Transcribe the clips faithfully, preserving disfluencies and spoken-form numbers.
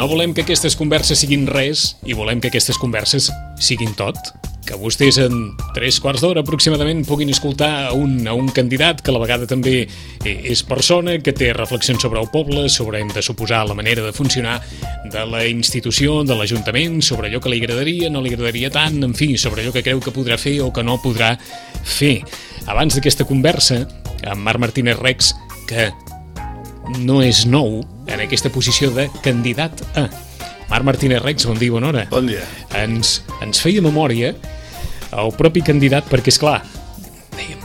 No volem que aquestes converses siguin res i volem que aquestes converses siguin tot. Que vostès en tres quarts d'hora aproximadament puguin escoltar a un, a un candidat que a la vegada també és persona, que té reflexions sobre el poble, sobre, hem de suposar, la manera de funcionar de la institució, de l'Ajuntament, sobre allò que li agradaria, no li agradaria tant, en fi, sobre allò que creu que podrà fer o que no podrà fer. Abans d'aquesta conversa, amb Marc Martínez Rex, que no és nou en aquesta posició de candidat a... Marc Martínez Rex, bon dia, bona hora. Bon dia. Ens, ens feia memòria el propi candidat, perquè, esclar, dèiem,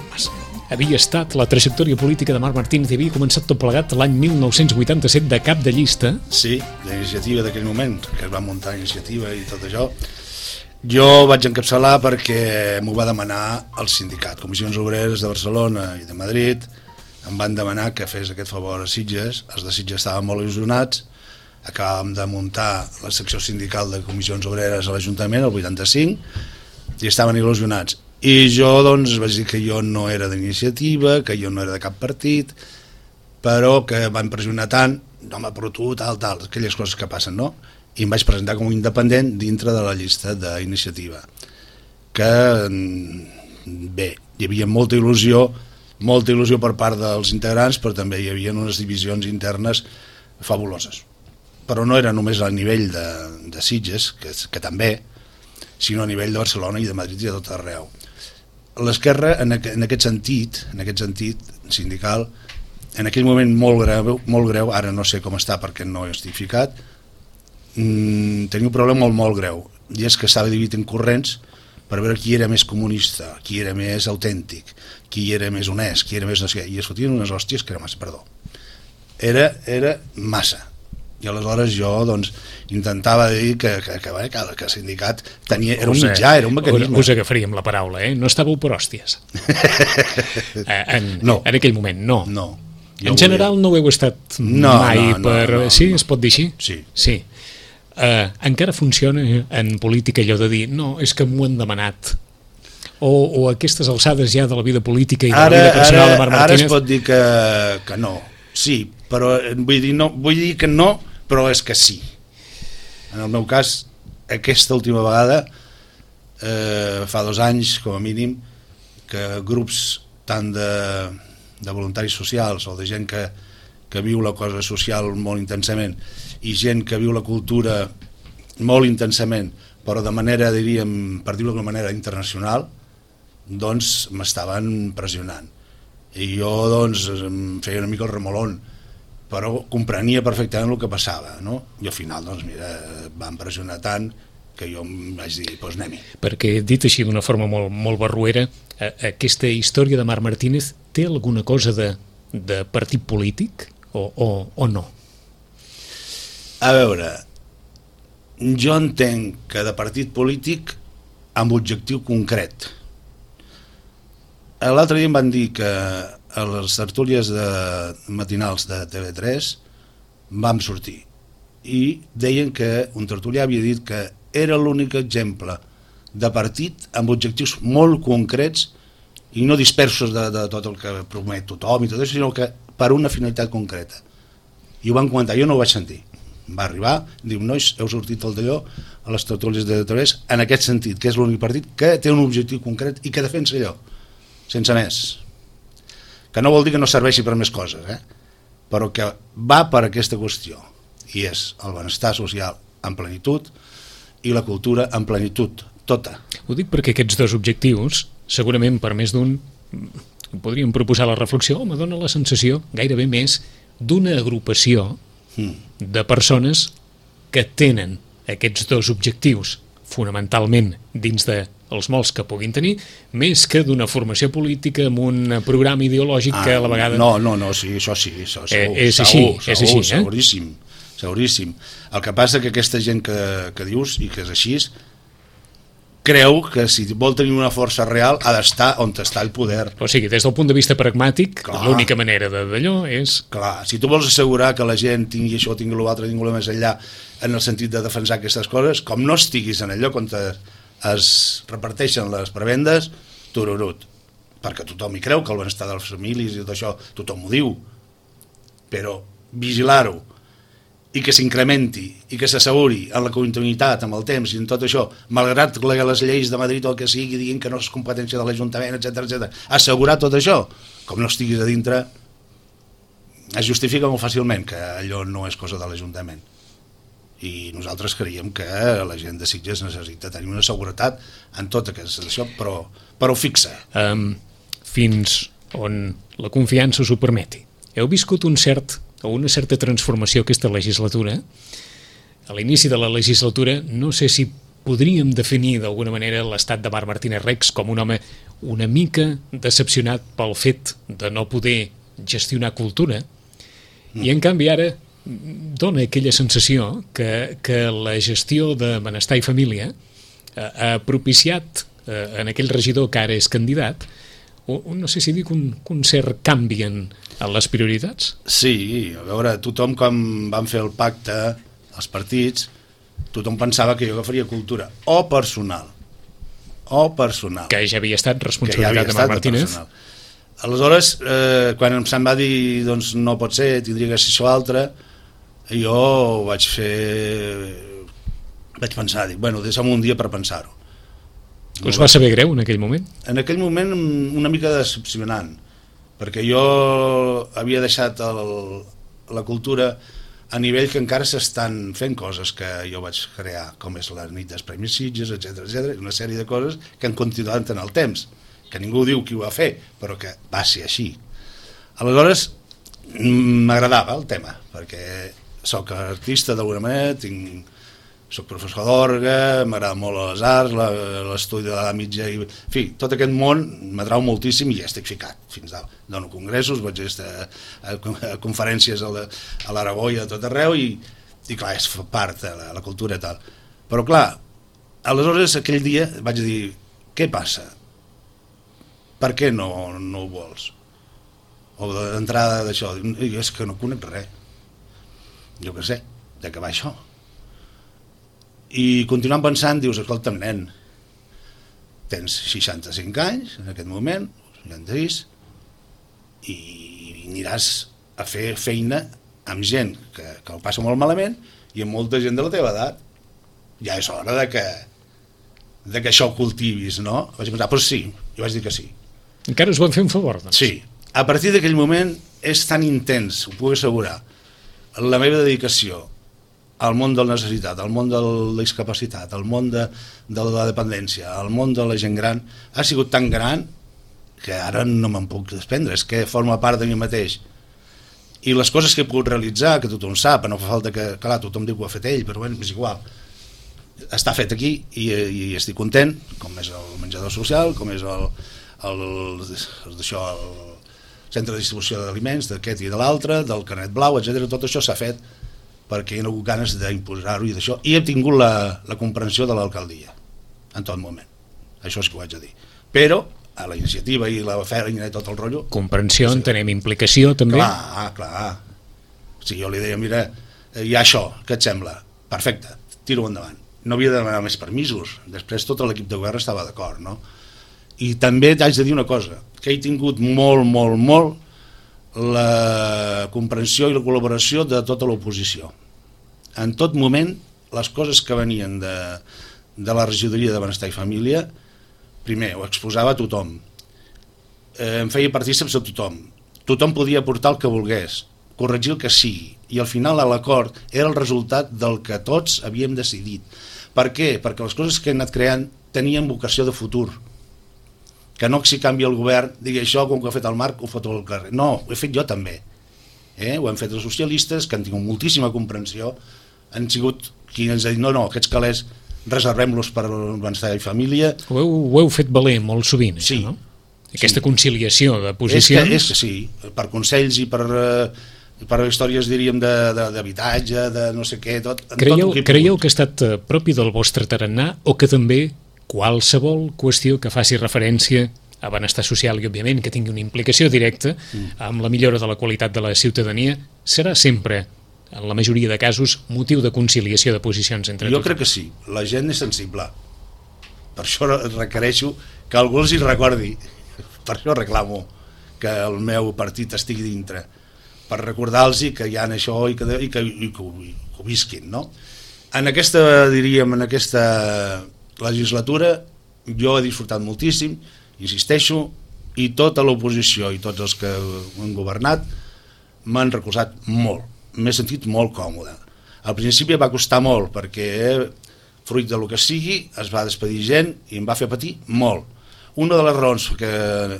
havia estat la trajectòria política de Marc Martínez i havia començat tot plegat l'any mil nou-cents vuitanta-set de cap de llista. Sí, d'iniciativa d'aquell moment, que es va muntar iniciativa i tot això. Jo vaig encapçalar perquè m'ho va demanar el sindicat. Comissions Obreres de Barcelona i de Madrid em van demanar que fes aquest favor a Sitges. Els de Sitges estaven molt il·lusionats. Acabàvem de muntar la secció sindical de Comissions Obreres a l'Ajuntament, el vuitanta-cinc, i estaven il·lusionats. I jo, doncs, vaig dir que jo no era d'iniciativa, que jo no era de cap partit, però que van pressionar tant, home, però tu, tal, tal, aquelles coses que passen, no? I em vaig presentar com a independent dintre de la llista d'iniciativa. Que, bé, hi havia molta il·lusió, molta il·lusió per part dels integrants, però també hi havia unes divisions internes fabuloses. Però no era només a nivell de, de Sitges, que, que també, sinó a nivell de Barcelona i de Madrid i de tot arreu. L'esquerra, en, aqu en aquest sentit, en aquest sentit sindical, en aquell moment molt greu, molt greu, ara no sé com està perquè no he estificat, mmm, tenia un problema molt, molt greu, i és que estava dividit en corrents per veure qui era més comunista, qui era més autèntic, qui era més honest, qui era més no sé què, i es fotien unes hòsties que era massa, perdó. Era, era massa. I aleshores jo doncs, intentava dir que, que, que, que, que el sindicat tenia, era un mitjà, era un mecanisme. Us agafaríem la paraula, eh? No estàveu per hòsties. en, no. En aquell moment, no. No. En general volia... no ho heu estat no, mai no, per... No, no, sí, no. Es pot dir així? Sí. Sí. Uh, encara funciona en política allò de dir no, és que m'ho han demanat. O, o a aquestes alçades ja de la vida política i de ara, la vida personal ara, de Marc Martínez... Ara es pot dir que, que no. Sí, però vull dir, no, vull dir que no, però és que sí. En el meu cas, aquesta última vegada, eh, fa dos anys, com a mínim, que grups tant de, de voluntaris socials o de gent que, que viu la cosa social molt intensament i gent que viu la cultura molt intensament, però de manera, diríem, per dir-ho d'una manera internacional, doncs m'estaven pressionant. I jo, doncs, em feia una mica el remolón, però comprenia perfectament el que passava, no? I al final, doncs, mira, van pressionar tant que jo em vaig dir, doncs anem-hi. Perquè, dit així d'una forma molt, molt barruera, aquesta història de Marc Martínez té alguna cosa de, de partit polític o, o, o no? A veure, jo entenc que de partit polític amb objectiu concret. L'altre dia em van dir que a les tertúlies de matinals de T V tres vam sortir i deien que un tertulià havia dit que era l'únic exemple de partit amb objectius molt concrets i no dispersos de, de tot el que promet tothom i tot això, sinó que per una finalitat concreta. I ho van comentar, jo no ho vaig sentir. Va arribar, diu, nois, heu sortit el d'allò a les tertúlies de T V tres en aquest sentit, que és l'únic partit que té un objectiu concret i que defensa allò, sense més. Que no vol dir que no serveixi per més coses, eh? Però que va per aquesta qüestió, i és el benestar social en plenitud i la cultura en plenitud, tota. Ho dic perquè aquests dos objectius, segurament per més d'un, podríem proposar la reflexió, me dona la sensació, gairebé més, d'una agrupació mm. de persones que tenen aquests dos objectius fonamentalment dins de els molts que puguin tenir, més que d'una formació política amb un programa ideològic ah, que a la vegada... No, no, no, sí, això sí, això, segur, eh, és segur, així, segur, és així, eh? seguríssim, seguríssim. El que passa que aquesta gent que, que dius i que és així, creu que si vol tenir una força real ha d'estar on està el poder. O sigui, des del punt de vista pragmàtic, l'única manera d'allò és... Clar, si tu vols assegurar que la gent tingui això, tingui l'altre, tingui més enllà, en el sentit de defensar aquestes coses, com no estiguis en allò on es reparteixen les prebendes, tururut. Perquè tothom hi creu que el benestar de les famílies i tot això, tothom ho diu. Però vigilar-ho i que s'incrementi i que s'asseguri en la continuïtat, amb el temps i en tot això, malgrat que les lleis de Madrid o el que sigui diguin que no és competència de l'Ajuntament, etcètera, etcètera, assegurar tot això, com no estiguis a dintre, es justifica molt fàcilment que allò no és cosa de l'Ajuntament. I nosaltres creiem que la gent de Sitges necessita tenir una seguretat en tot aquest això, però, però fixa. Um, fins on la confiança us ho permeti. Heu viscut un cert o una certa transformació aquesta legislatura. A l'inici de la legislatura no sé si podríem definir d'alguna manera l'estat de Marc Martínez Rex com un home una mica decepcionat pel fet de no poder gestionar cultura, mm. i en canvi ara dona aquella sensació que, que la gestió de benestar i família ha, ha propiciat eh, en aquell regidor que ara és candidat o, no sé si dic un, un cert canvi en, en les prioritats. Sí, a veure, tothom quan van fer el pacte, els partits, tothom pensava que jo agafaria cultura, o personal, o personal. Que ja havia estat responsabilitat ja de Marc Martínez. Personal. Aleshores, eh, quan se'm va dir doncs no pot ser, tindria que ser això altre, jo vaig fer... vaig pensar, dic, bueno, deixa'm un dia per pensar-ho. Us va saber greu en aquell moment? En aquell moment una mica decepcionant, perquè jo havia deixat el, la cultura a nivell que encara s'estan fent coses que jo vaig crear, com és la nit dels Premis Sitges, etcètera, etcètera, una sèrie de coses que han continuat en el temps, que ningú diu qui ho va fer, però que va ser així. Aleshores, m'agradava el tema, perquè soc artista d'alguna manera, tinc, soc professor d'orgue, m'agrada molt les arts, l'estudi de la mitja, i, en fi, tot aquest món m'atrau moltíssim i ja estic ficat fins dalt. Dono congressos, vaig estar a, a conferències a l'Aragó i a tot arreu i, i clar, és part de la, la cultura i tal. Però clar, aleshores aquell dia vaig dir, què passa? Per què no, no ho vols? O d'entrada d'això, és que no conec res. Jo què sé, de què va això? I continuant pensant, dius, escolta'm, nen, tens seixanta-cinc anys en aquest moment, seixanta-sis, i aniràs a fer feina amb gent que, que ho passa molt malament i amb molta gent de la teva edat. Ja és hora de que, de que això ho cultivis, no? Vaig pensar, però sí, jo vaig dir que sí. Encara us van fer un favor, doncs. Sí, a partir d'aquell moment és tan intens, ho puc assegurar, la meva dedicació al món de la necessitat, al món de la discapacitat, al món de, de la dependència, al món de la gent gran, ha sigut tan gran que ara no me'n puc desprendre, és que forma part de mi mateix. I les coses que he pogut realitzar, que tothom sap, no fa falta que, clar, tothom diu que ho ha fet ell, però bueno, és igual, està fet aquí i, i estic content, com és el menjador social, com és el, el, el, això, el centre de distribució d'aliments, d'aquest i de l'altre, del carnet blau, etcètera. Tot això s'ha fet perquè hi ha hagut ganes d'imposar-ho i d'això, i he tingut la, la comprensió de l'alcaldia en tot moment, això és que ho haig de dir, però a la iniciativa i la feina i tot el rotllo... Comprensió, sí. Entenem implicació també? Clar, clar, si jo li deia, mira, hi ha això, què et sembla? Perfecte, tiro endavant, no havia de demanar més permisos, després tot l'equip de govern estava d'acord, no? I també t'haig de dir una cosa, que he tingut molt, molt, molt la comprensió i la col·laboració de tota l'oposició. En tot moment, les coses que venien de, de la regidoria de Benestar i Família, primer, ho exposava a tothom, eh, em feia partícips a tothom, tothom podia aportar el que volgués, corregir el que sigui, i al final l'acord era el resultat del que tots havíem decidit. Per què? Perquè les coses que he anat creant tenien vocació de futur, que no si canvia el govern, digui això, com que ha fet el Marc, ho foto al carrer. No, ho he fet jo també. Eh? Ho hem fet els socialistes, que han tingut moltíssima comprensió, han sigut qui ens ha dit, no, no, aquests calés reservem-los per benestar i família. Ho heu, ho heu fet valer molt sovint, sí, això, no? Aquesta sí. conciliació de posicions... És que, és que sí, per consells i per, per històries, diríem, d'habitatge, de, de no sé què, tot... Creieu, tot que, creieu que ha estat propi del vostre tarannà o que també qualsevol qüestió que faci referència a benestar social i, òbviament, que tingui una implicació directa amb la millora de la qualitat de la ciutadania, serà sempre, en la majoria de casos, motiu de conciliació de posicions entre jo tothom? Jo crec que sí, la gent és sensible. Per això requereixo que algú els hi recordi, per això reclamo que el meu partit estigui dintre, per recordar-los que hi ha això i que, i que, i que, que visquin, no? En aquesta, diríem, en aquesta legislatura jo he disfrutat moltíssim, insisteixo, i tota l'oposició i tots els que han governat m'han recolzat molt, m'he sentit molt còmode. Al principi va costar molt perquè, fruit del que sigui, es va despedir gent i em va fer patir molt. Una de les raons que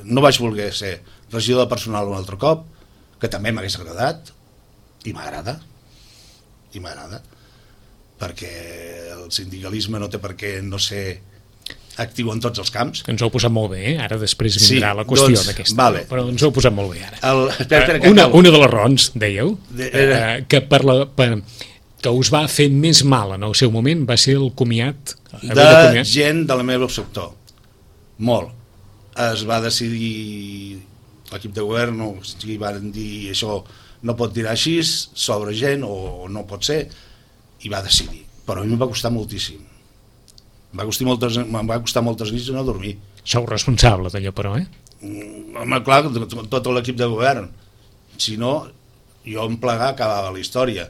no vaig voler ser regidor de personal un altre cop, que també m'hagués agradat, i m'agrada, i m'agrada, perquè el sindicalisme no té per què no ser actiu en tots els camps. Ens ho heu posat molt bé, eh? Ara després vindrà sí, la qüestió doncs, d'aquesta, vale. Però ens ho heu posat molt bé ara. El, espera, espera, una, una de les raons, dèieu, de, eh, que, per la, per, que us va fer més mal en el seu moment va ser el comiat de, de gent del meu sector. Molt. Es va decidir, l'equip de govern, no, si van dir això no pot tirar així sobre gent o no pot ser, i va decidir. Però a mi em va costar moltíssim. Em va costar moltes, em va costar moltes nits no dormir. Sou responsable d'allò, però, eh? Home, clar, tot l'equip de govern. Si no, jo em plegar acabava la història.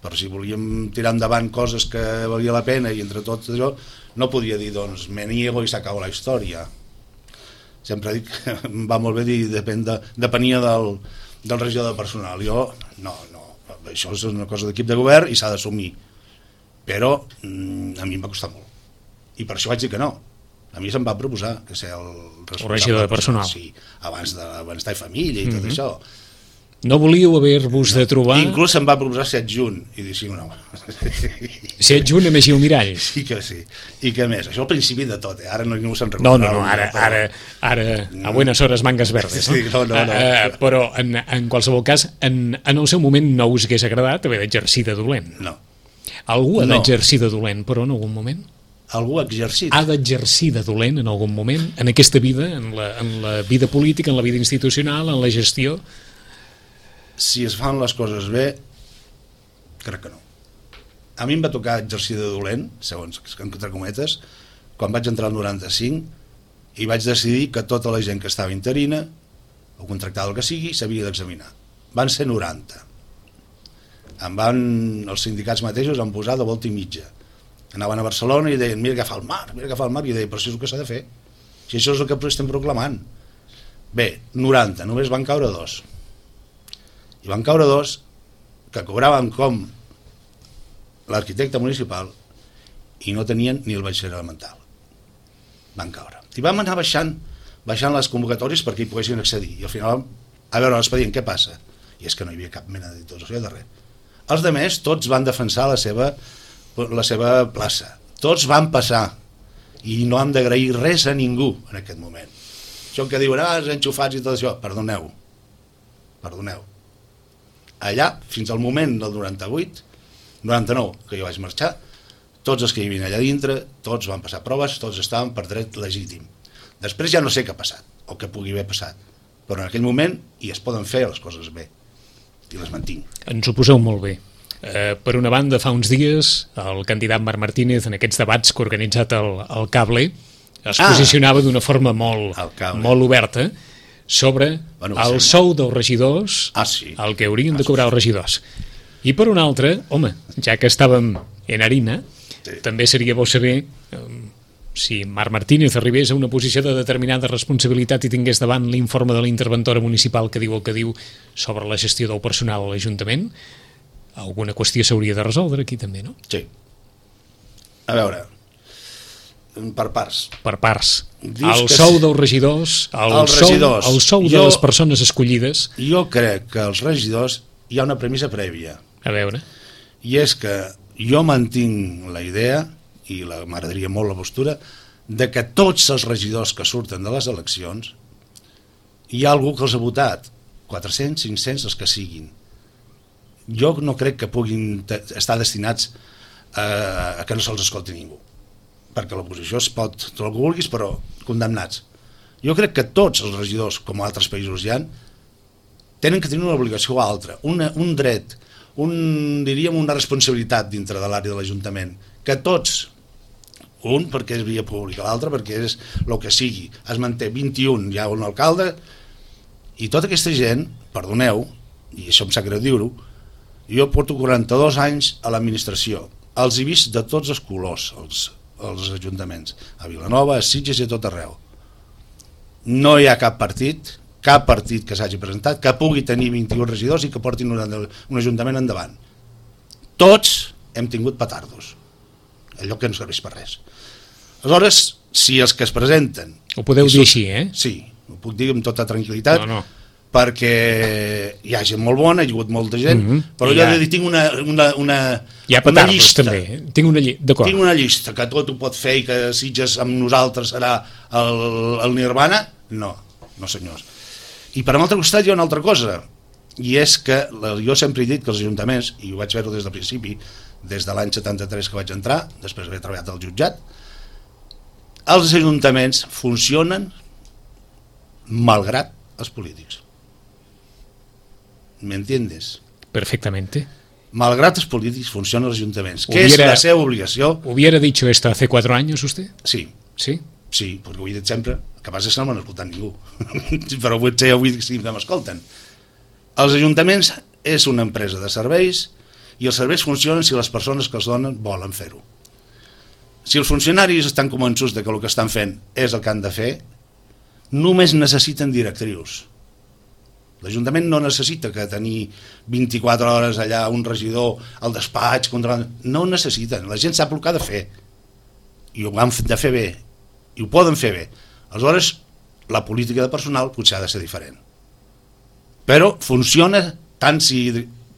Però si volíem tirar endavant coses que valia la pena i entre tot això, no podia dir, doncs, me niego i s'acaba la història. Sempre dic que em va molt bé dir, depèn de, depenia del, del regidor de personal. Jo, no, no, això és una cosa d'equip de govern i s'ha d'assumir. Però mm, a mi em va costar molt. I per això vaig dir que no. A mi se'm va proposar que ser el responsable el regidor de personal. Sí, abans de benestar i família i mm-hmm. tot això. No volíeu haver-vos no. de trobar... Inclús se'm va proposar ser adjunt. I dir, sí, no. Ser adjunt a Magí Almirall. Sí que sí. I que més. Això al principi de tot, eh? Ara no ningú se'n recorda. No, no, no. Ara, ara, ara a buenas horas mangas verdes. No? Sí, no, no, no. Uh, però en, en qualsevol cas, en, en el seu moment no us hagués agradat haver d'exercir de dolent. No. Algú ha no. d'exercir de dolent, però en algun moment? Algú ha exercit? Ha d'exercir de dolent en algun moment, en aquesta vida, en la, en la vida política, en la vida institucional, en la gestió? Si es fan les coses bé, crec que no. A mi em va tocar exercir de dolent, segons entre cometes, quan vaig entrar al noranta-cinc i vaig decidir que tota la gent que estava interina o contractada el que sigui s'havia d'examinar. Van ser noranta. Em van, els sindicats mateixos em posar de volta i mitja. Anaven a Barcelona i deien, mira que fa el mar, mira que fa el mar, i jo deia, però això és el que s'ha de fer. Si això és el que estem proclamant. Bé, noranta, només van caure dos. I van caure dos que cobraven com l'arquitecte municipal i no tenien ni el batxiller elemental. Van caure. I vam anar baixant, baixant les convocatòries perquè hi poguessin accedir. I al final, a veure l'expedient, què passa? I és que no hi havia cap mena de titulació de res. Els altres, tots van defensar la seva, la seva plaça. Tots van passar. I no hem d'agrair res a ningú en aquest moment. Això que diuen, ah, els enxufats i tot això, perdoneu. Perdoneu. Allà, fins al moment del noranta-vuit, noranta-nou, que jo vaig marxar, tots els que hi havien allà dintre, tots van passar proves, tots estaven per dret legítim. Després ja no sé què ha passat, o què pugui haver passat, però en aquell moment hi es poden fer les coses bé, i les mantinc. Ens ho poseu molt bé. Eh, per una banda, fa uns dies, el candidat Marc Martínez, en aquests debats que ha organitzat el, el Cable, es ah, posicionava d'una forma molt, molt oberta sobre bueno, el sí. sou dels regidors, ah, sí. el que haurien ah, de cobrar els regidors. I per una altra, home, ja que estàvem en harina, sí. també seria bo saber eh, si Marc Martínez arribés a una posició de determinada responsabilitat i tingués davant l'informe de l'interventora municipal que diu el que diu sobre la gestió del personal a l'Ajuntament, alguna qüestió s'hauria de resoldre aquí també, no? Sí. A veure, per parts. Per parts. Dius el sou dels regidors, el, els sou, regidors. el sou de jo, les persones escollides. Jo crec que els regidors hi ha una premissa prèvia. A veure. I és que jo mantinc la idea, i m'agradaria molt la postura, de que tots els regidors que surten de les eleccions hi ha algú que els ha votat, quatre-cents, cinc-cents, els que siguin. Jo no crec que puguin estar destinats a, a que no se'ls escolti ningú, perquè l'oposició es pot, tot el que vulguis, però condemnats. Jo crec que tots els regidors, com a altres països hi ha, tenen que tenir una obligació altra, una, un dret, un, diríem una responsabilitat dintre de l'àrea de l'Ajuntament, que tots, un perquè és via pública, l'altre perquè és el que sigui, es manté vint-i-un, hi ha un alcalde, i tota aquesta gent, perdoneu, i això em sap greu dir-ho, Jo porto quaranta-dos anys a l'administració, els he vist de tots els colors, els, els ajuntaments, a Vilanova, a Sitges i a tot arreu. No hi ha cap partit, cap partit que s'hagi presentat, que pugui tenir vint-i-un regidors i que portin un, un ajuntament endavant. Tots hem tingut petardos, allò que no serveix per res. Aleshores, si els que es presenten... Ho podeu dir així, eh? Sí, ho puc dir amb tota tranquil·litat, no, no. perquè hi ha gent molt bona, hi ha hagut molta gent, mm -hmm. però jo ha... he de dir, tinc una, una, una, hi ha una llista. També. Tinc una, lli... tinc una llista que tot ho pot fer i que Sitges amb nosaltres serà el, el Nirvana. No, no senyors. I per l'altre costat hi ha una altra cosa, i és que jo sempre he dit que els ajuntaments, i ho vaig veure des del principi, des de l'any setanta-tres que vaig entrar, després d'haver treballat al jutjat, els ajuntaments funcionen malgrat els polítics. ¿Me entiendes? Perfectamente. Malgrat els polítics funcionen els ajuntaments. ¿Qué es la seva obligació? ¿Hubiera dicho esto hace cuatro años usted? Sí. ¿Sí? Sí, perquè ho he dit sempre. El que passa és que no m'han escoltat ningú. Però potser avui sí que m'escolten. Els ajuntaments és una empresa de serveis i els serveis funcionen si les persones que els donen volen fer-ho. Si els funcionaris estan convençuts de que el que estan fent és el que han de fer, només necessiten directrius. L'Ajuntament no necessita que tenir vint-i-quatre hores allà un regidor al despatx, controlant. No ho necessiten, la gent sap el que ha de fer i ho han de fer bé i ho poden fer bé. Aleshores, la política de personal potser ha de ser diferent, però funciona tant si...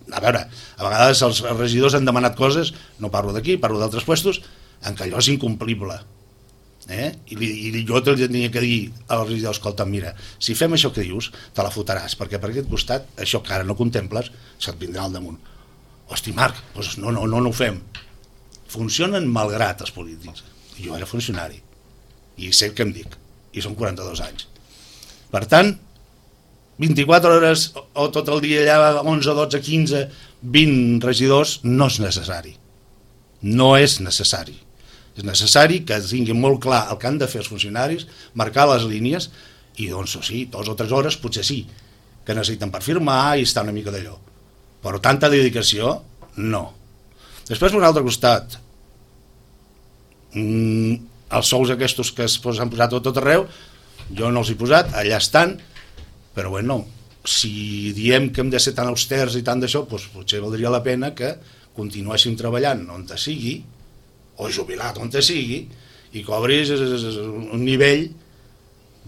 A veure, a vegades els regidors han demanat coses, no parlo d'aquí, parlo d'altres puestos, en què allò és incomplible. Eh? I, I jo tenia que dir al regidor, escolta, mira, si fem això que dius, te la fotràs, perquè per aquest costat, això que ara no contemples, se't vindrà al damunt. Hosti, Marc, doncs no, no, no, no ho fem. Funcionen malgrat els polítics. Jo era funcionari, i sé què em dic, i són quaranta-dos anys. Per tant, vint-i-quatre hores o tot el dia allà, onze, dotze, quinze, vint regidors, no és necessari. No és necessari. És necessari que tinguin molt clar el que han de fer els funcionaris, marcar les línies, i doncs sí, dues o tres hores potser sí, que necessiten per firmar i estar una mica d'allò. Però tanta dedicació, no. Després, per un altre costat, mm, els sous aquests que s'han posat a tot arreu, jo no els he posat, allà estan, però bueno, si diem que hem de ser tan austers i tant d'això, doncs potser valdria la pena que continuéssim treballant on te sigui, o jubilat on te sigui, i cobris un nivell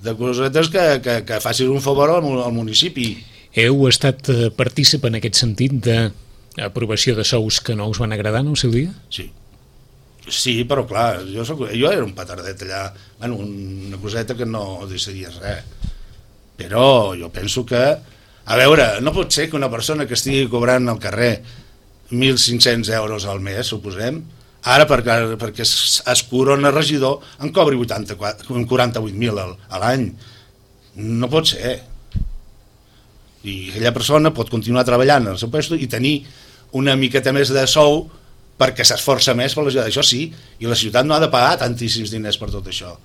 de cosetes que, que, que facis un favor al, al municipi. Heu estat partícip en aquest sentit d'aprovació de sous que no us van agradar en el seu dia? Sí. Sí, però clar, jo, soc, jo era un petardet allà, bueno, una coseta que no decidies res. Però jo penso que, a veure, no pot ser que una persona que estigui cobrant al carrer mil cinc-cents euros al mes, suposem, ara perquè, perquè es, es corona regidor en cobri quaranta-vuit mil a l'any. No pot ser. I aquella persona pot continuar treballant en el seu lloc i tenir una miqueta més de sou perquè s'esforça més per la ciutat. Això sí, i la ciutat no ha de pagar tantíssims diners per tot això.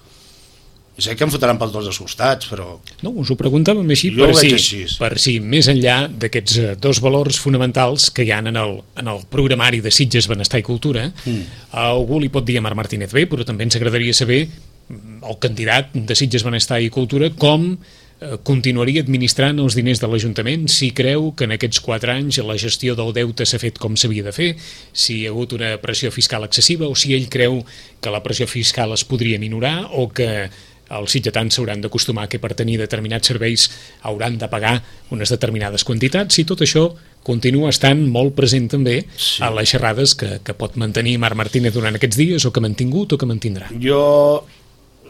I sé que em fotran per tots els costats, però... No, us ho preguntàvem així per si, així per si més enllà d'aquests dos valors fonamentals que hi ha en el, en el programari de Sitges Benestar i Cultura, mm. algú li pot dir a Marc Martínez bé, però també ens agradaria saber el candidat de Sitges Benestar i Cultura com continuaria administrant els diners de l'Ajuntament, si creu que en aquests quatre anys la gestió del deute s'ha fet com s'havia de fer, si hi ha hagut una pressió fiscal excessiva o si ell creu que la pressió fiscal es podria minorar o que els sitgetans s'hauran d'acostumar que per tenir determinats serveis hauran de pagar unes determinades quantitats, i tot això continua estant molt present també sí. a les xerrades que, que pot mantenir Marc Martínez durant aquests dies o que ha mantingut o que mantindrà. Jo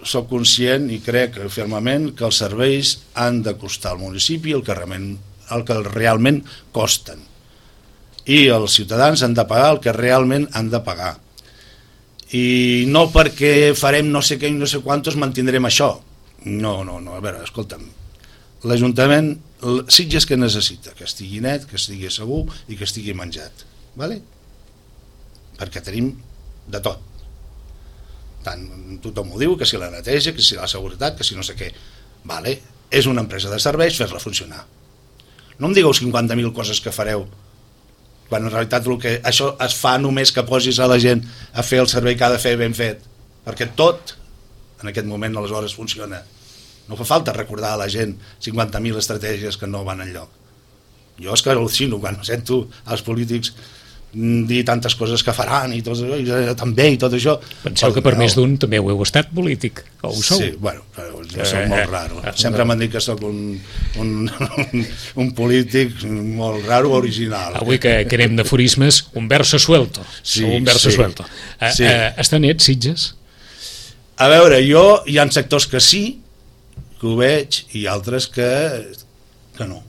soc conscient i crec fermament que els serveis han de costar al municipi el que realment, el que realment costen, i els ciutadans han de pagar el que realment han de pagar. I no perquè farem no sé què i no sé quantos mantindrem això. No, no, no, a veure, escolta'm, l'Ajuntament, Sitges que necessita? Que estigui net, que estigui segur i que estigui menjat, vale? Perquè tenim de tot. Tant, tothom ho diu, que si la neteja, que si la seguretat, que si no sé què. Vale, és una empresa de serveis, fer-la funcionar. No em digueu cinquanta mil coses que fareu quan en realitat el que això es fa només que posis a la gent a fer el servei que ha de fer ben fet, perquè tot en aquest moment aleshores funciona. No fa falta recordar a la gent cinquanta mil estratègies que no van enlloc. Jo és que al·lucino quan sento els polítics dir tantes coses que faran i tot això, i també i tot això. Penseu que per no. més d'un també ho heu estat polític, o ho sou? Sí, bueno, jo soc molt raro. Sempre m'han dit que soc un, un, un polític molt raro, original. Avui que, que anem d'aforismes, un verso suelto. Sí, un verso sí, suelto. Uh, sí. Uh, està net, Sitges? A veure, jo hi ha sectors que sí, que ho veig, i altres que, que no.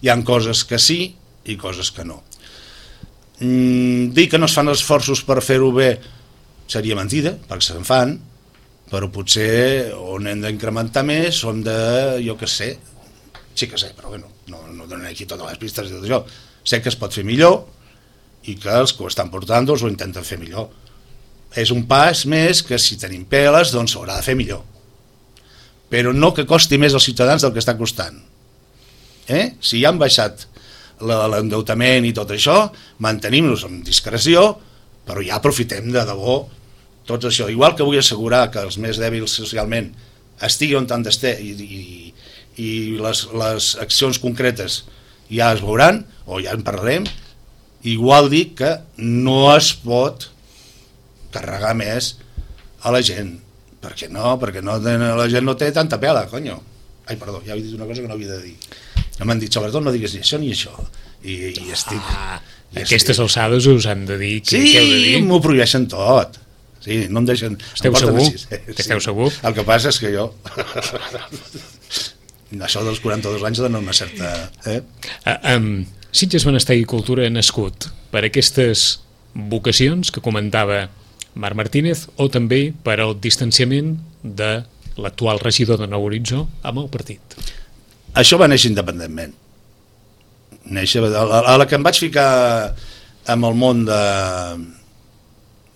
Hi ha coses que sí i coses que no. Mm, dir que no es fan esforços per fer-ho bé seria mentida, perquè se'n fan, però potser on hem d'incrementar més on de, jo que sé, sí que sé, però bueno, no, no donen aquí totes les pistes i tot això. Sé que es pot fer millor i que els que ho estan portant doncs ho intenten fer millor. És un pas més que si tenim peles doncs s'haurà de fer millor, però no que costi més als ciutadans del que està costant. Eh? Si ja han baixat l'endeutament i tot això, mantenim-nos amb discreció, però ja aprofitem de debò tot això. Igual que vull assegurar que els més dèbils socialment estigui on han d'estar i, i, i les, les accions concretes ja es veuran, o ja en parlarem, igual dic que no es pot carregar més a la gent. Per què no? Perquè no, la gent no té tanta pela, conyo. Ai, perdó, ja he dit una cosa que no havia de dir. M'han dit, sobretot no digues ni això ni això, i, i estic... Ah, i aquestes estic... alçades us han de dir què, sí, què heu de dir? Sí, m'ho prohibeixen tot. Sí, no em deixen... Esteu em segur? Sí. Esteu segur? El que passa és que jo... això dels quaranta-dos anys dona una certa... Eh? Uh, um, Sitges Benestar i Cultura ha nascut per aquestes vocacions que comentava Marc Martínez o també per al distanciament de l'actual regidor de Nou Horitzó amb el partit? Això va néixer independentment. Néixer, a la que em vaig ficar amb el món de,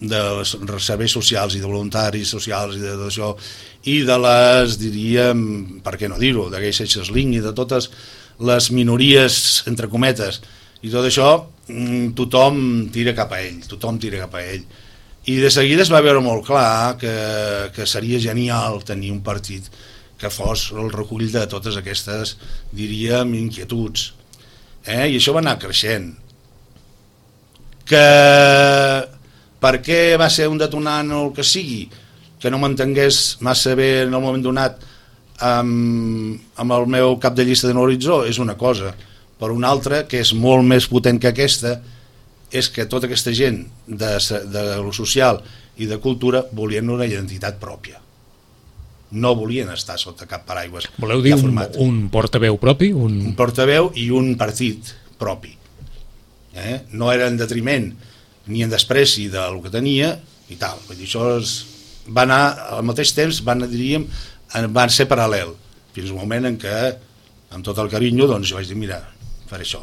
de serveis socials i de voluntaris socials i de tot això, i de les, diríem, per què no dir-ho, de Gay Seixas Link i de totes les minories, entre cometes, i tot això, tothom tira cap a ell, tothom tira cap a ell. I de seguida es va veure molt clar que, que seria genial tenir un partit que fos el recull de totes aquestes, diríem, inquietuds. Eh? I això va anar creixent. Que per què va ser un detonant o el que sigui, que no m'entengués massa bé en el moment donat amb, amb el meu cap de llista de Nou Horitzó, és una cosa. Per una altra, que és molt més potent que aquesta, és que tota aquesta gent de, de lo social i de cultura volien una identitat pròpia. No volien estar sota cap paraigües. Voleu dir un, un portaveu propi? Un... un portaveu i un partit propi. Eh? No era en detriment ni en despreci del que tenia i tal. Vull dir, això es... va anar, al mateix temps, van, diríem, van ser paral·lel, fins al moment en què, amb tot el carinyo, doncs jo vaig dir, mira, faré això.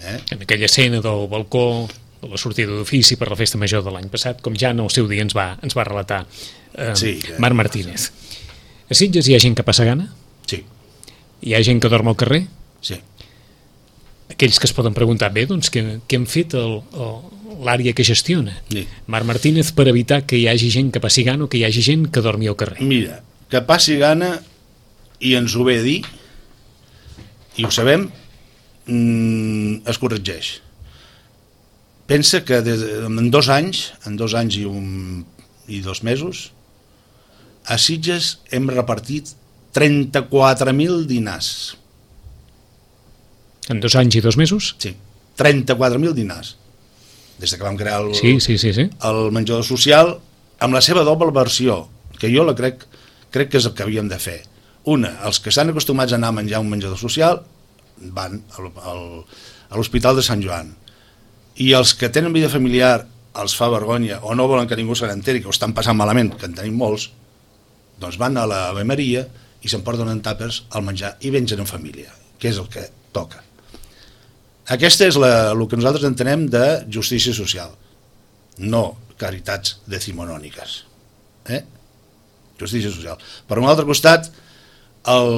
Eh? En aquella escena del balcó de la sortida d'ofici per la festa major de l'any passat, com ja en el seu dia ens va, ens va relatar eh, sí, Marc Martínez. A Sitges hi ha gent que passa gana? Sí. Hi ha gent que dorm al carrer? Sí. Aquells que es poden preguntar, bé, doncs, què, què han fet l'àrea que gestiona? Sí. Marc Martínez per evitar que hi hagi gent que passi gana o que hi hagi gent que dormi al carrer. Mira, que passi gana i ens ho ve a dir, i ho sabem, mmm, es corregeix. Pensa que des, en dos anys, en dos anys i, un, i dos mesos, a Sitges hem repartit trenta-quatre mil dinars. En dos anys i dos mesos? Sí, trenta-quatre mil dinars. Des que vam crear el, sí, sí, sí, sí. el menjador social, amb la seva doble versió, que jo la crec, crec que és el que havíem de fer. Una, els que estan acostumats a anar a menjar un menjador social van al, al, a l'Hospital de Sant Joan. I els que tenen vida familiar els fa vergonya o no volen que ningú se n'enteri, que ho estan passant malament, que en tenim molts, doncs van a la Ave Maria i s'emporten en tàpers al menjar i mengen en família, que és el que toca. Aquesta és la, el que nosaltres entenem de justícia social, no caritats decimonòniques. Eh? Justícia social. Per un altre costat, el,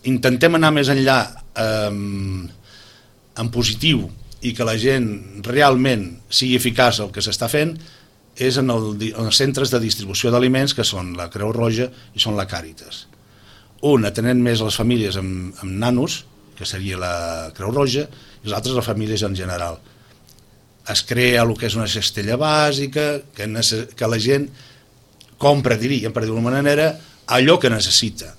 intentem anar més enllà eh, en positiu i que la gent realment sigui eficaç el que s'està fent és en, el, en els centres de distribució d'aliments, que són la Creu Roja i són la Càritas. Un atenent més a les famílies amb, amb nanos, que seria la Creu Roja, i els altres les famílies en general. Es crea el que és una cestella bàsica, que, que la gent compra, diríem, per dir-ho d'una manera, allò que necessita.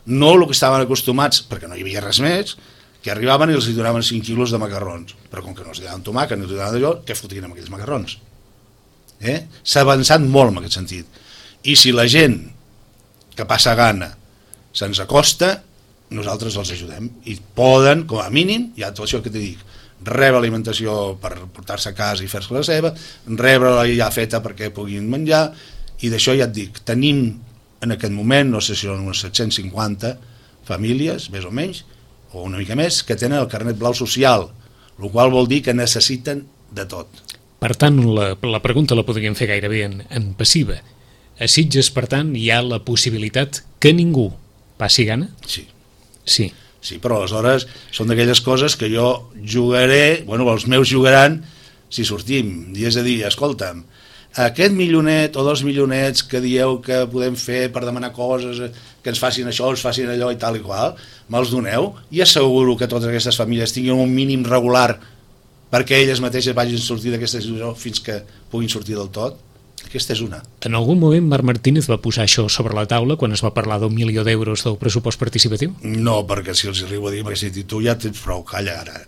No el que estaven acostumats, perquè no hi havia res més, que arribaven i els donaven cinc quilos de macarrons, però com que no els donaven tomàquet, no els donaven d'allò, què fotien amb aquells macarrons? Eh? S'ha avançat molt en aquest sentit. I si la gent que passa gana se'ns acosta, nosaltres els ajudem. I poden, com a mínim, ja tot això que t'he dit, rebre alimentació per portar-se a casa i fer-se la seva, rebre-la ja feta perquè puguin menjar, i d'això ja et dic, tenim en aquest moment, no sé si són unes set-cents cinquanta famílies, més o menys, o una mica més, que tenen el carnet blau social, el qual vol dir que necessiten de tot. Per tant, la, la pregunta la podríem fer gairebé en, en passiva. A Sitges, per tant, hi ha la possibilitat que ningú passi gana? Sí. Sí. Sí, però aleshores són d'aquelles coses que jo jugaré, bueno, els meus jugaran si sortim, i és a dir, escolta'm, aquest milionet o dos milionets que dieu que podem fer per demanar coses, que ens facin això, ens facin allò i tal i qual, me'ls doneu i asseguro que totes aquestes famílies tinguin un mínim regular perquè elles mateixes vagin a sortir d'aquesta situació fins que puguin sortir del tot. Aquesta és una. En algun moment Marc Martínez va posar això sobre la taula quan es va parlar d'un milió d'euros del pressupost participatiu? No, perquè si els arribo a dir, perquè si dic, tu ja tens prou, calla ara.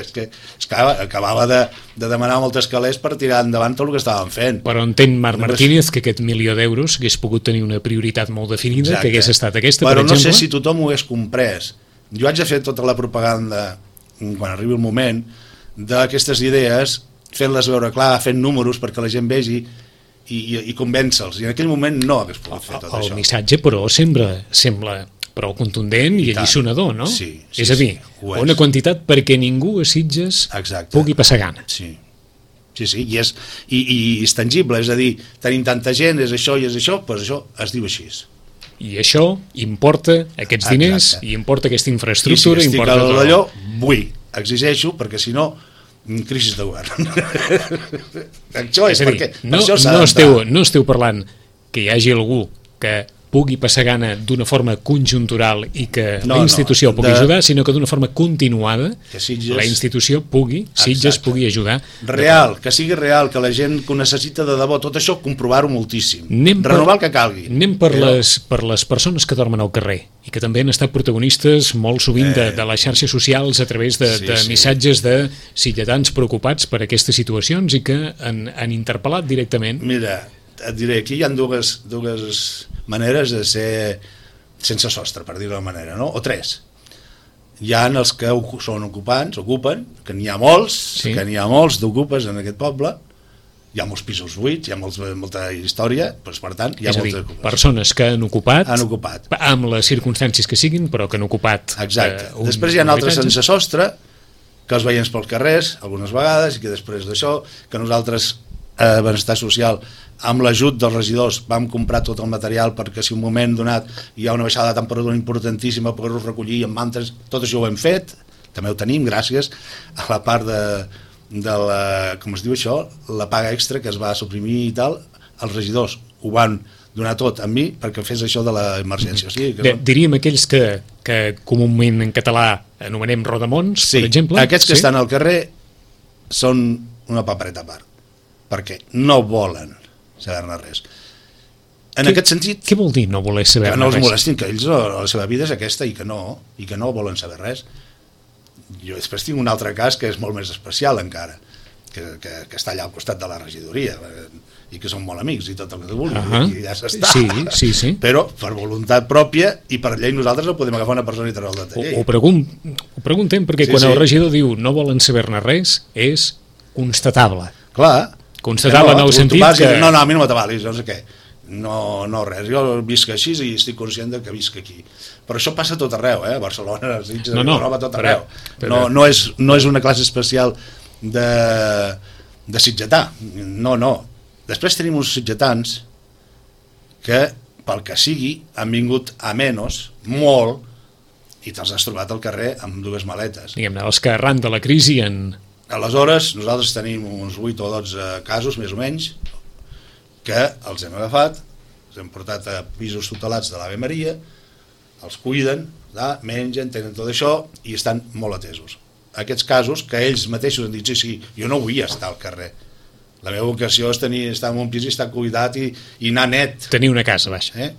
és que, és que acabava de, de demanar moltes calés per tirar endavant tot el que estàvem fent. Però entén Marc Martínez que aquest milió d'euros hagués pogut tenir una prioritat molt definida, Exacte. Que hagués estat aquesta, però per exemple? Però no sé si tothom ho hagués comprès. Jo haig de fer tota la propaganda, quan arribi el moment, d'aquestes idees, fent-les veure clar, fent números perquè la gent vegi i, i, i convèncer-los, i en aquell moment no hagués pogut fer tot el això. El missatge, però, sembla, sembla prou contundent i, I alliçonador, no? Sí, sí, és a dir, sí, una quantitat perquè ningú a Sitges Exacte. Pugui passar gana. Sí, sí, sí, i és, i, i és tangible, és a dir, tenim tanta gent, és això i és això, doncs això es diu així. I això importa aquests diners, Exacte. I importa aquesta infraestructura, I si importa tot allò, vull, exigeixo, perquè si no, crisi de govern. Això és, és dir, perquè no, això s'ha no, esteu, no esteu parlant que hi hagi algú que pugui passar gana d'una forma conjuntural i que no, la institució no, pugui de... ajudar, sinó que d'una forma continuada que Sitges... la institució pugui, Sitges Exacte. Pugui ajudar. Real, que sigui real, que la gent que ho necessita de debò, tot això comprovar-ho moltíssim. Anem Renovar per, el que calgui. Anem per, Però... les, per les persones que dormen al carrer i que també han estat protagonistes molt sovint eh... de, de les xarxes socials a través de, sí, de sí. missatges de sitgetans preocupats per aquestes situacions i que han, han interpel·lat directament. Mira, et diré, aquí hi ha dues, dues maneres de ser sense sostre, per dir-ho d'una manera, no? O tres. Hi ha els que són ocupants, ocupen, que n'hi ha molts, sí. que n'hi ha molts d'ocupes en aquest poble, hi ha molts pisos buits, hi ha molts, molta història, doncs, per tant, hi ha és molts dir, ocupes. Persones que han ocupat, han ocupat, amb les circumstàncies que siguin, però que han ocupat. Exacte. Eh, un, després hi ha altres sense sostre, que els veiem pels carrers, algunes vegades, i que després d'això, que nosaltres, a eh, Benestar Social, amb l'ajut dels regidors vam comprar tot el material perquè si un moment donat hi ha una baixada de temperatura importantíssima poder-ho recollir amb mantes, tot això ho hem fet, també ho tenim gràcies a la part de, de la, com es diu això, la paga extra que es va suprimir i tal, els regidors ho van donar tot a mi perquè fes això de l'emergència. O sigui, que no... Diríem aquells que, que comúment en català anomenem rodamons, sí, per exemple. Aquests que sí? estan al carrer són una papereta a part, perquè no volen saber-ne res. En què, aquest sentit... Què vol dir no voler saber-ne res? Que no els molestin, que ells la seva vida és aquesta i que no, i que no volen saber res. Jo després tinc un altre cas que és molt més especial encara, que, que, que està allà al costat de la regidoria i que són molt amics i tot el que tu vulguis, uh -huh. i ja s'està. Sí, sí, sí. Però per voluntat pròpia i per llei nosaltres no podem agafar una persona i treure-la de llei. Ho, ho, pregun ho preguntem perquè sí, quan sí. el regidor diu no volen saber-ne res és constatable. Clar. Constatable no, en el sentit que... No, no, a mi no m'atabalis, no sé què. No, no res, jo visc així i estic conscient de que visc aquí. Però això passa a tot arreu, eh? A Barcelona, a Sitges, no, no, a tot arreu. Però, però... No, no, és, no és una classe especial de, de sitgetà. No, no. Després tenim uns sitgetans que, pel que sigui, han vingut a menys, molt, i te'ls has trobat al carrer amb dues maletes. Diguem-ne, els que arran de la crisi en... Aleshores, nosaltres tenim uns vuit o dotze casos, més o menys, que els hem agafat, els hem portat a pisos tutelats de l'Ave Maria, els cuiden, da, mengen, tenen tot això i estan molt atesos. Aquests casos que ells mateixos han dit, sí, sí, jo no vull estar al carrer. La meva vocació és tenir, estar en un pis i estar cuidat i, i anar net. Tenir una casa, baix. Eh?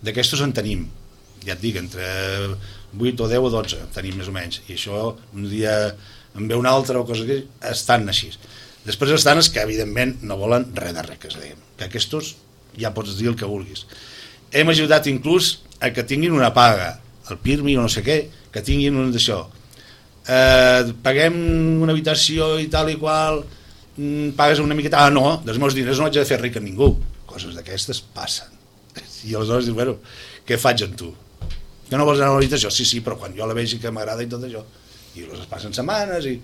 D'aquestos en tenim, ja et dic, entre vuit o deu o dotze tenim més o menys. I això un dia en ve un altre o cosa que estan així. Després estan els que evidentment no volen res de res, que, diguem, que aquestos ja pots dir el que vulguis. Hem ajudat inclús a que tinguin una paga, el PIRMI o no sé què, que tinguin un d'això. Eh, paguem una habitació i tal i qual, pagues una miqueta, ah no, dels meus diners no haig de fer ric a ningú. Coses d'aquestes passen. I aleshores dius, bueno, què faig amb tu? Que no vols anar a l'habitació? Sí, sí, però quan jo la vegi que m'agrada i tot això. I les passen setmanes i...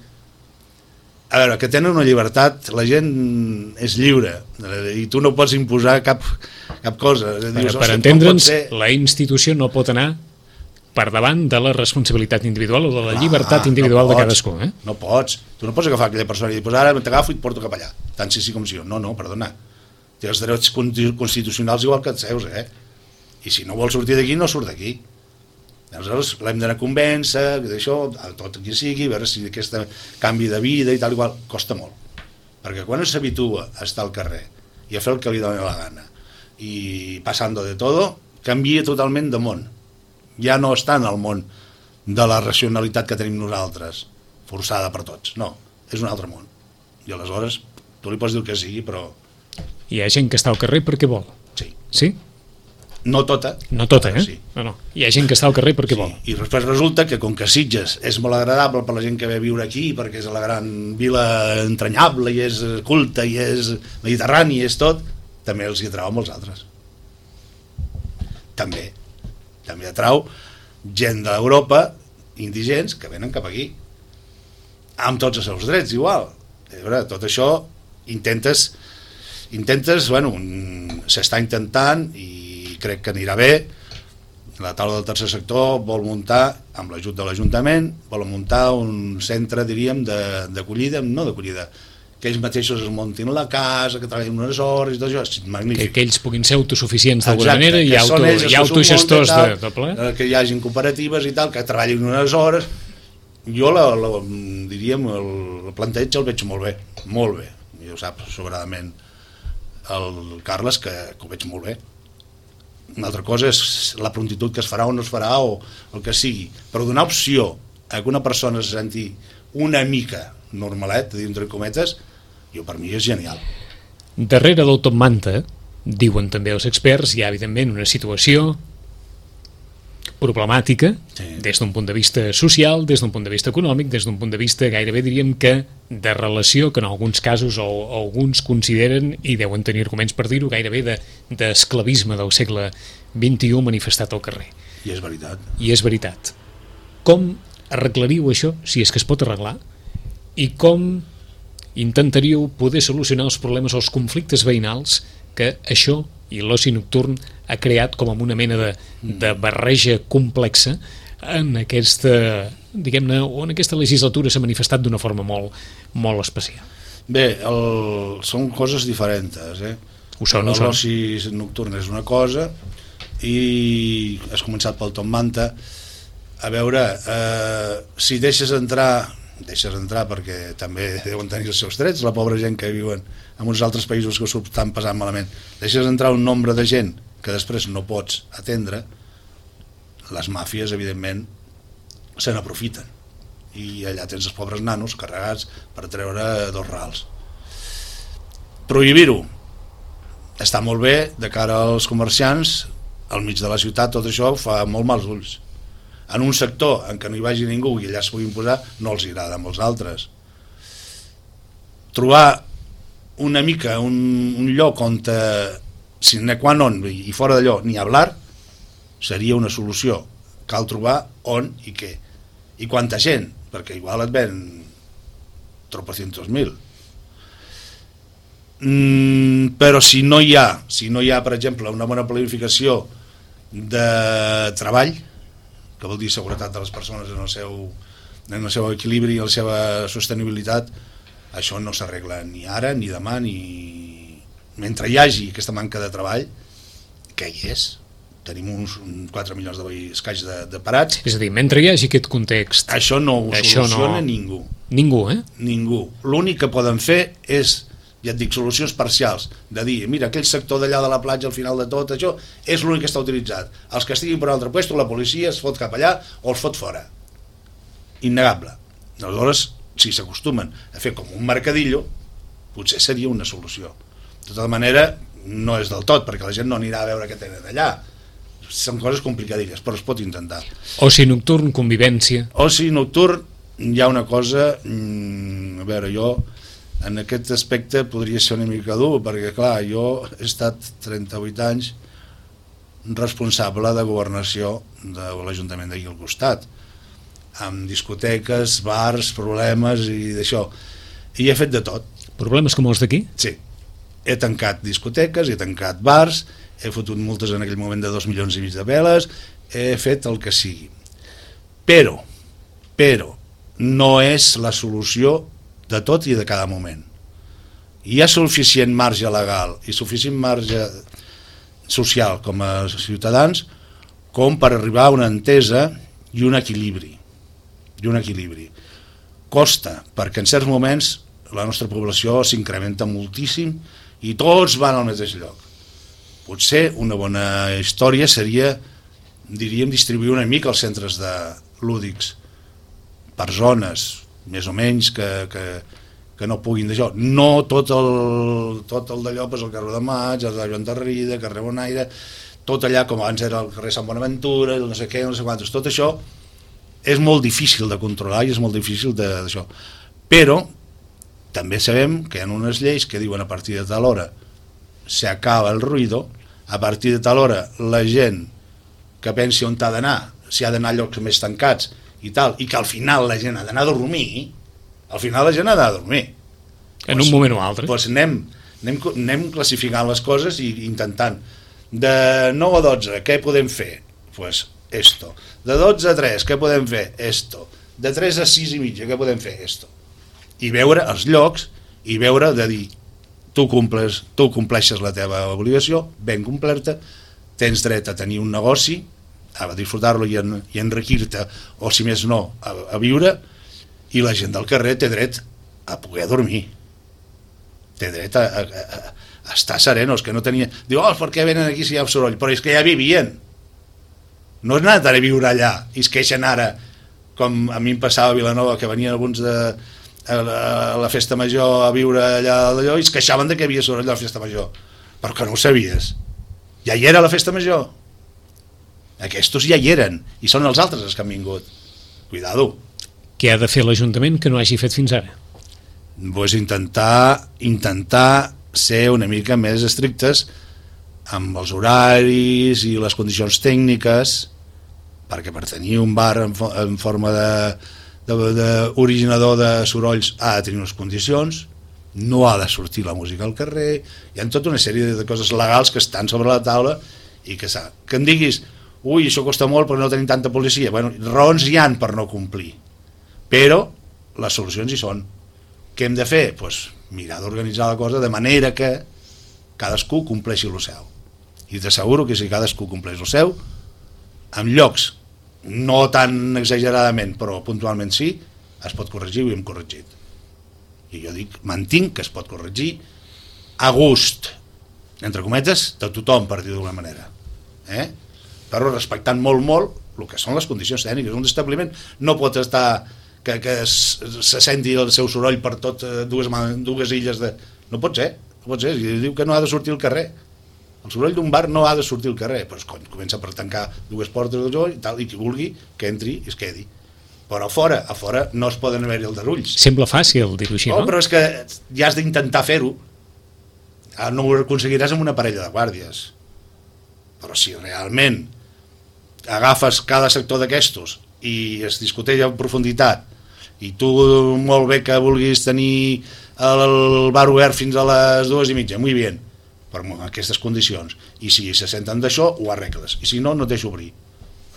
A veure, que tenen una llibertat, la gent és lliure i tu no pots imposar cap, cap cosa. Dius, per entendre'ns, ser... la institució no pot anar per davant de la responsabilitat individual o de la llibertat ah, individual no pots, de cadascú. Eh? No pots. Tu no pots agafar aquella persona i dir, pues ara t'agafo i et porto cap allà. Tant si sí com si no. No, no, perdona. Té els drets constitucionals igual que els seus, eh? I si no vol sortir d'aquí, no surt d'aquí. Aleshores l'hem d'anar a convèncer, d'això, tot qui sigui, a veure si aquest canvi de vida i tal igual, costa molt. Perquè quan s'habitua a estar al carrer i a fer el que li doni la gana i passando de todo, canvia totalment de món. Ja no està en el món de la racionalitat que tenim nosaltres, forçada per tots. No, és un altre món. I aleshores tu li pots dir el que sigui, però... Hi ha gent que està al carrer perquè vol. Sí. Sí? No tota. No tota, eh? Sí. No, no. Hi ha gent que està al carrer perquè sí. vol. I després resulta que com que Sitges és molt agradable per la gent que ve a viure aquí, perquè és la gran vila entranyable i és culta i és mediterrani i és tot, també els hi atrau molts altres. També. També atrau gent d'Europa, indigents, que venen cap aquí. Amb tots els seus drets, igual. A veure, tot això intentes, intentes, bueno, s'està intentant i crec que anirà bé. La taula del tercer sector vol muntar, amb l'ajut de l'Ajuntament, vol muntar un centre, diríem, d'acollida, no d'acollida, que ells mateixos es muntin la casa, que treballin unes hores i tot això, és magnífic. Que, que ells puguin ser autosuficients d'alguna manera i, auto, i autogestors de, de ple. Que hi hagin cooperatives i tal, que treballin unes hores. Jo, la, la, diríem, el, el planteig el veig molt bé, molt bé. I ho sap sobradament el Carles, que, que ho veig molt bé. Una altra cosa és la prontitud que es farà o no es farà o el que sigui, però donar opció a que una persona se senti una mica normalet, dintre cometes, jo per mi és genial. Darrere del Top Manta, diuen també els experts, hi ha evidentment una situació problemàtica, sí. Des d'un punt de vista social, des d'un punt de vista econòmic, des d'un punt de vista gairebé diríem que de relació, que en alguns casos o, o alguns consideren, i deuen tenir arguments per dir-ho, gairebé d'esclavisme de, del segle vint-i-u manifestat al carrer. I és veritat. I és veritat. Com arreglaríeu això, si és que es pot arreglar, i com intentaríeu poder solucionar els problemes o els conflictes veïnals que això i l'oci nocturn ha creat com una mena de, de barreja complexa en aquesta, diguem-ne, o en aquesta legislatura s'ha manifestat d'una forma molt, molt especial. Bé, el, són coses diferents, eh? Ho són, ho són. L'oci nocturn és una cosa i has començat pel Top Manta. A veure, eh, si deixes entrar deixes entrar perquè també deuen tenir els seus drets, la pobra gent que viuen en uns altres països que s'ho estan passant malament, deixes entrar un nombre de gent que després no pots atendre, les màfies evidentment se n'aprofiten i allà tens els pobres nanos carregats per treure dos rals. Prohibir-ho està molt bé de cara als comerciants, al mig de la ciutat tot això fa molt mals ulls. En un sector en què no hi vagi ningú i allà es puguin posar, no els agrada amb els altres. Trobar una mica un, un lloc on te, sine qua non i fora d'allò ni hablar seria una solució. Cal trobar on i què i quanta gent, perquè igual et ven tropocientos mil. Mm, però si no hi ha si no hi ha, per exemple, una bona planificació de treball, que vol dir seguretat de les persones en el seu, en el seu equilibri i la seva sostenibilitat, això no s'arregla ni ara, ni demà, ni... Mentre hi hagi aquesta manca de treball, que hi és, tenim uns quatre milions de escaig de, de parats. És a dir, mentre hi hagi aquest context... Això no ho això soluciona no... ningú. Ningú, eh? Ningú. L'únic que poden fer és, ja et dic, solucions parcials, de dir, mira, aquell sector d'allà de la platja al final de tot, això és l'únic que està utilitzat. Els que estiguin per un altre lloc, la policia es fot cap allà o els fot fora. Innegable. Aleshores, si s'acostumen a fer com un mercadillo, potser seria una solució. De tota manera, no és del tot, perquè la gent no anirà a veure què tenen allà. Són coses complicadilles, però es pot intentar. Oci nocturn, convivència... Oci nocturn, hi ha una cosa... Mmm, a veure, jo en aquest aspecte podria ser una mica dur, perquè clar, jo he estat trenta-vuit anys responsable de governació de l'Ajuntament d'aquí al costat, amb discoteques, bars, problemes i d'això. I he fet de tot. Problemes com els d'aquí? Sí. He tancat discoteques, he tancat bars, he fotut multes en aquell moment de dos milions i mig de veles, he fet el que sigui. Però, però, no és la solució de tot i de cada moment. Hi ha suficient marge legal i suficient marge social com a ciutadans com per arribar a una entesa i un equilibri. I un equilibri. Costa, perquè en certs moments la nostra població s'incrementa moltíssim i tots van al mateix lloc. Potser una bona història seria, diríem, distribuir una mica els centres de lúdics per zones, més o menys, que, que, que no puguin d'això. No tot el, tot el d'allò, pues el carrer de Maig, el de Joan Tarrida, el carrer Bonaire, tot allà com abans era el carrer Sant Bonaventura, no sé què, no sé quantos, tot això és molt difícil de controlar i és molt difícil d'això. Però també sabem que hi ha unes lleis que diuen a partir de tal hora se acaba el ruïdo, a partir de tal hora la gent que pensi on ha d'anar, si ha d'anar a llocs més tancats i tal, i que al final la gent ha d'anar a dormir, al final la gent ha d'anar a dormir. En pues, un moment o altre. Doncs anem, anem, anem classificant les coses i intentant. De nou a dotze, què podem fer? Doncs pues esto. De dotze a tres, què podem fer? Esto. De tres a sis i mitja, què podem fer? Esto. I veure els llocs i veure de dir tu, comples, tu compleixes la teva obligació, ben complerta, tens dret a tenir un negoci, a disfrutar-lo i, en, i enriquir-te, o si més no, a, a viure, i la gent del carrer té dret a poder dormir, té dret a, a, a, a estar serenos, que no tenia... Diu, oh, per què venen aquí si hi ha soroll? Però és que ja vivien, no és anat a viure allà, i es queixen ara, com a mi em passava a Vilanova, que venien alguns de... a la festa major a viure allà d'allò i es queixaven de que hi havia soroll a la festa major, però que no ho sabies, ja hi era la festa major, aquests ja hi eren i són els altres els que han vingut, cuidado. Què ha de fer l'Ajuntament que no hagi fet fins ara? Pues intentar intentar ser una mica més estrictes amb els horaris i les condicions tècniques, perquè per tenir un bar en, fo en forma de d'originador de, de sorolls ha de tenir unes condicions, no ha de sortir la música al carrer, hi ha tota una sèrie de coses legals que estan sobre la taula i que, que em diguis, ui, això costa molt perquè no tenim tanta policia, bueno, raons hi han per no complir, però les solucions hi són. Què hem de fer? Pues mirar d'organitzar la cosa de manera que cadascú compleixi el seu, i t'asseguro que si cadascú compleix el seu, en llocs no tan exageradament, però puntualment sí, es pot corregir i ho hem corregit. I jo dic, mantinc que es pot corregir a gust, entre cometes, de tothom, per dir d'una manera. Eh? Però respectant molt, molt el que són les condicions tècniques. Un establiment no pot estar que, que se senti el seu soroll per tot dues, dues illes de... No pot ser, no pot ser. Diu que no ha de sortir al carrer. El soroll d'un bar no ha de sortir al carrer, però cony, comença per tancar dues portes i tal, i qui vulgui que entri i es quedi. Però a fora, a fora no es poden haver-hi aldarulls. Sembla fàcil dir-ho així, no? No, però és que ja has d'intentar fer-ho. No ho aconseguiràs amb una parella de guàrdies. Però si realment agafes cada sector d'aquestos i es discuteix en profunditat i tu molt bé que vulguis tenir el bar obert fins a les dues i mitja, muy bien, per aquestes condicions, i si se senten d'això ho arregles, i si no, no et deixo obrir,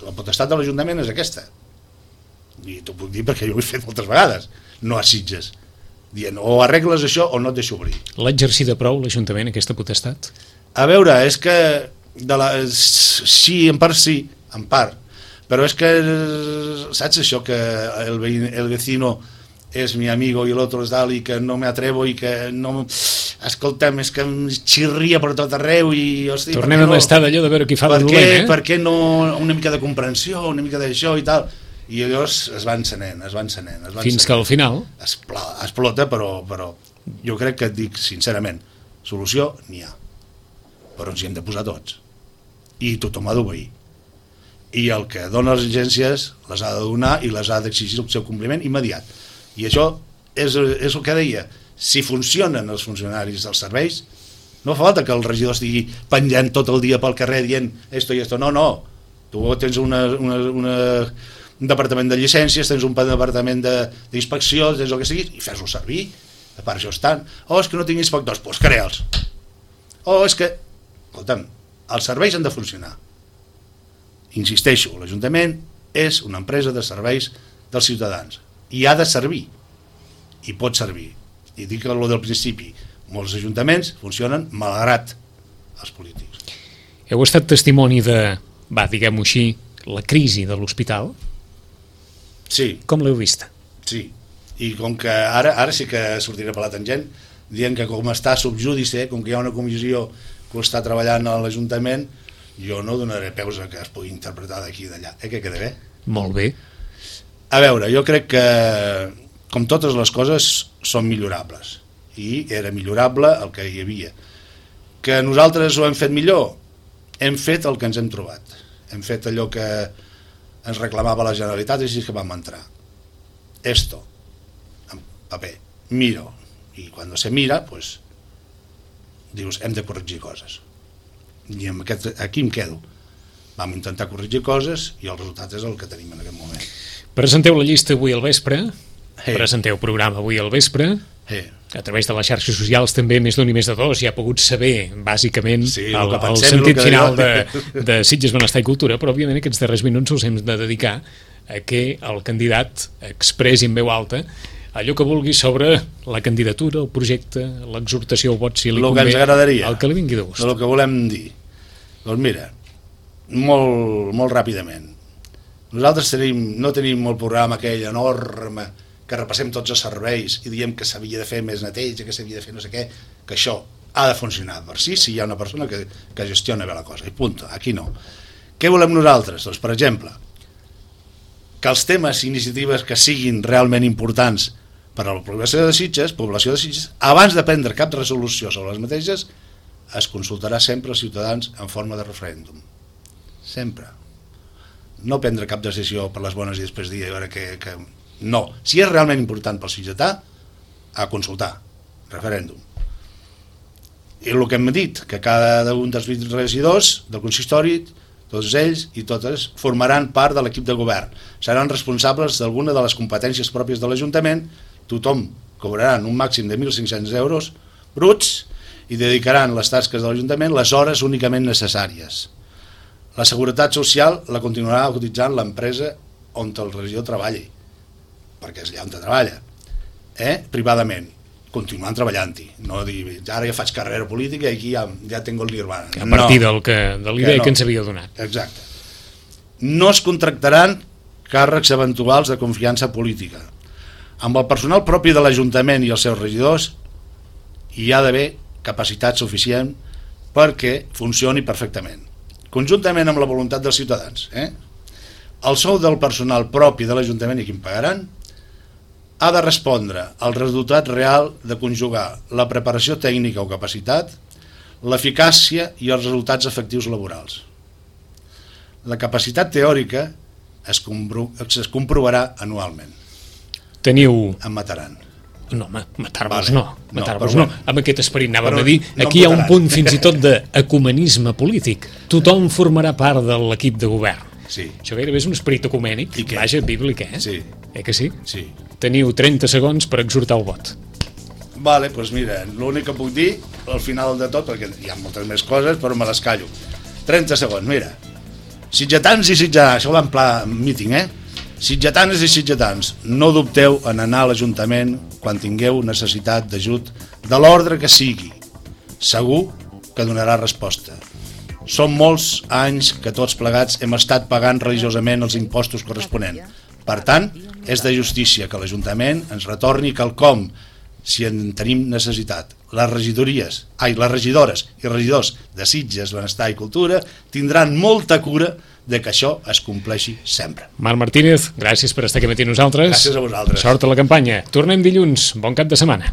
la potestat de l'Ajuntament és aquesta. I t'ho puc dir perquè jo ho he fet moltes vegades, no a Sitges, dient o arregles això o no et deixo obrir. L'ha exercida prou l'Ajuntament, aquesta potestat? A veure, és que de la, sí, en part sí, en part, però és que saps això que el, veïn, el vecino és mi amigo i l'altre és dalt i que no me atrevo i que no... Escolta'm, és que em xirria per tot arreu i... Hosti, tornem a estar d'allò de veure qui fa de dolent, eh? Per què no una mica de comprensió, una mica d'això i tal? I llavors es va encenent, es va encenent. Es va Fins encenent. que al final... Espla, explota, però, però jo crec que et dic sincerament, solució n'hi ha, però ens hi hem de posar tots. I tothom ha d'obeir. I el que dona les agències les ha de donar i les ha d'exigir el seu compliment immediat. I això és, és el que deia, si funcionen els funcionaris dels serveis, no fa falta que el regidor estigui penjant tot el dia pel carrer dient esto i esto, no, no, tu tens una, una, una, un departament de llicències, tens un departament d'inspecció, tens el que sigui, i fes-ho servir, a part això estan, oh, és que no tinc inspectors, doncs crea'ls, oh, és que, escolta'm, els serveis han de funcionar. Insisteixo, l'Ajuntament és una empresa de serveis dels ciutadans i ha de servir, i pot servir. I dic el del principi, molts ajuntaments funcionen malgrat els polítics. Heu estat testimoni de, va, diguem-ho així, la crisi de l'hospital? Sí. Com l'heu vista? Sí, i com que ara, ara sí que sortiré per la tangent, dient que com està subjúdice, com que hi ha una comissió que ho està treballant a l'Ajuntament, jo no donaré peus a que es pugui interpretar d'aquí i d'allà. Eh, que queda bé? Molt bé. A veure, jo crec que com totes les coses són millorables i era millorable el que hi havia. Que nosaltres ho hem fet millor? Hem fet el que ens hem trobat. Hem fet allò que ens reclamava la Generalitat i així que vam entrar. Esto, en paper, miro. I quan se mira, pues, dius, hem de corregir coses. I amb aquest, aquí em quedo. Vam intentar corregir coses i el resultat és el que tenim en aquest moment. Presenteu la llista avui al vespre, Hey. presenteu programa avui al vespre, hey. a través de les xarxes socials també més d'un i més de dos ja ha pogut saber bàsicament sí, el, el, el sentit el final de, de Sitges, Benestar i Cultura, però òbviament aquests darrers minuts els hem de dedicar a que el candidat expressi en veu alta allò que vulgui sobre la candidatura, el projecte, l'exhortació al vot, si li el convé, que ens agradaria, el que li vingui de gust. El que volem dir. Doncs mira, molt, molt ràpidament. Nosaltres tenim, no tenim el programa aquell enorme que repassem tots els serveis i diem que s'havia de fer més neteja, que s'havia de fer no sé què, que això ha de funcionar per si, si hi ha una persona que, que gestiona bé la cosa, i punt, aquí no. Què volem nosaltres? Doncs, per exemple, que els temes i iniciatives que siguin realment importants per a la població de Sitges, població de Sitges, abans de prendre cap resolució sobre les mateixes, es consultarà sempre als ciutadans en forma de referèndum. Sempre. No prendre cap decisió per les bones i després dir a veure que... que no, si és realment important pel sitgetà, a consultar, referèndum. I el que hem dit, que cada un dels vint regidors del consistori, tots ells i totes, formaran part de l'equip de govern. Seran responsables d'alguna de les competències pròpies de l'Ajuntament, tothom cobraran un màxim de mil cinc-cents euros bruts i dedicaran les tasques de l'Ajuntament les hores únicament necessàries. La seguretat social la continuarà utilitzant l'empresa on el regidor treballi, perquè és allà on treballa, eh? privadament, continuant treballant-hi, no dir, ara ja faig carrera política i aquí ja, ja tengo el nirvana. A partir no, del que, de l'idea que, no. que ens havia donat. Exacte. No es contractaran càrrecs eventuals de confiança política. Amb el personal propi de l'Ajuntament i els seus regidors hi ha d'haver capacitat suficient perquè funcioni perfectament, conjuntament amb la voluntat dels ciutadans. Eh? El sou del personal propi de l'Ajuntament i qui em pagaran ha de respondre al resultat real de conjugar la preparació tècnica o capacitat, l'eficàcia i els resultats efectius laborals. La capacitat teòrica es, compro es comprovarà anualment. Teniu... Em mataran. No, matar-vos vale. no, matar-vos no, no. Amb aquest esperit anàvem però a dir, no aquí hi ha un punt fins i tot d'ecumenisme polític. Tothom formarà part de l'equip de govern. Sí. Això gairebé és un esperit ecumènic, vaja, bíblic, eh? Sí. Eh que sí? Sí. Teniu trenta segons per exhortar el vot. Vale, doncs mira, l'únic que puc dir al final de tot, perquè hi ha moltes més coses, però me les callo. trenta segons, mira. Sitgetans i sitgetans, això va en pla míting, eh? Sitgetanes i sitgetans, no dubteu en anar a l'Ajuntament quan tingueu necessitat d'ajut de l'ordre que sigui. Segur que donarà resposta. Són molts anys que tots plegats hem estat pagant religiosament els impostos corresponents. Per tant, és de justícia que l'Ajuntament ens retorni quelcom si en tenim necessitat. Les regidories, ai, les regidores i regidors de Sitges, Benestar i Cultura tindran molta cura de que això es compleixi sempre. Marc Martínez, gràcies per estar aquí matí nosaltres. Gràcies a vosaltres. Sort a la campanya. Tornem dilluns. Bon cap de setmana.